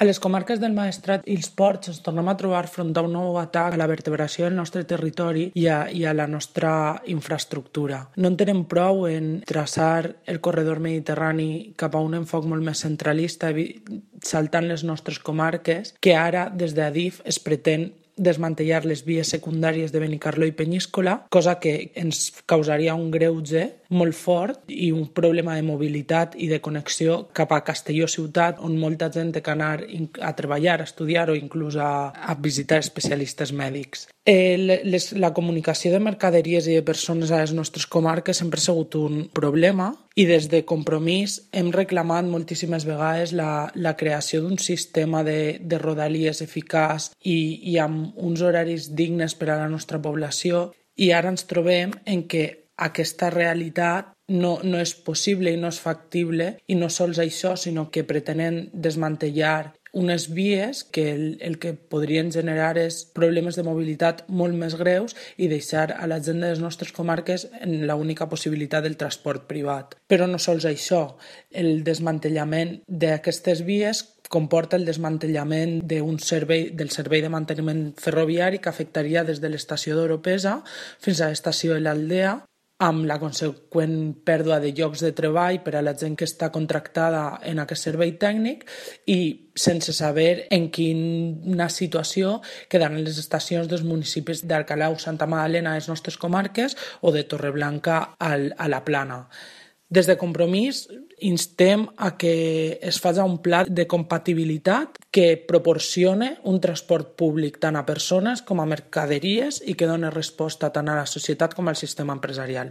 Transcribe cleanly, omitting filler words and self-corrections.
A les comarques del Maestrat i els Ports ens tornem a trobar front a un nou atac a la vertebració del nostre territori i a la nostra infraestructura. No en tenem prou en traçar el corredor mediterrani cap a un enfoc molt més centralista, saltant les nostres comarques, que ara des d'Adif es pretén desmantellar les vies secundàries de Benicarló i Penyíscola, cosa que ens causaria un greuge molt fort i un problema de mobilitat i de connexió cap a Castelló ciutat, on molta gent té que anar a treballar, a estudiar o inclús a visitar especialistes mèdics. La comunicació de mercaderies i de persones a les nostres comarques sempre ha sigut un problema i des de Compromís hem reclamat moltíssimes vegades la creació d'un sistema de rodalies eficaç i amb uns horaris dignes per a la nostra població, i ara ens trobem en què aquesta realitat no és possible i no és factible, i no sols això, sinó que pretenen desmantellar unes vies que el que podrien generar és problemes de mobilitat molt més greus i deixar a la gent de les nostres comarques en l'única possibilitat del transport privat. Però no sols això, el desmantellament d'aquestes vies comporta el desmantellament del servei de manteniment ferroviari, que afectaria des de l'estació d'Oropesa fins a l'estació de l'Aldea, amb la conseqüent pèrdua de llocs de treball per a la gent que està contractada en aquest servei tècnic, i sense saber en quina situació quedaran les estacions dels municipis d'Alcalau, Santa Magdalena, a les nostres comarques, o de Torreblanca a la Plana. Des de Compromís instem a que es faci un pla de compatibilitat que proporcione un transport públic tant a persones com a mercaderies i que doni resposta tant a la societat com al sistema empresarial.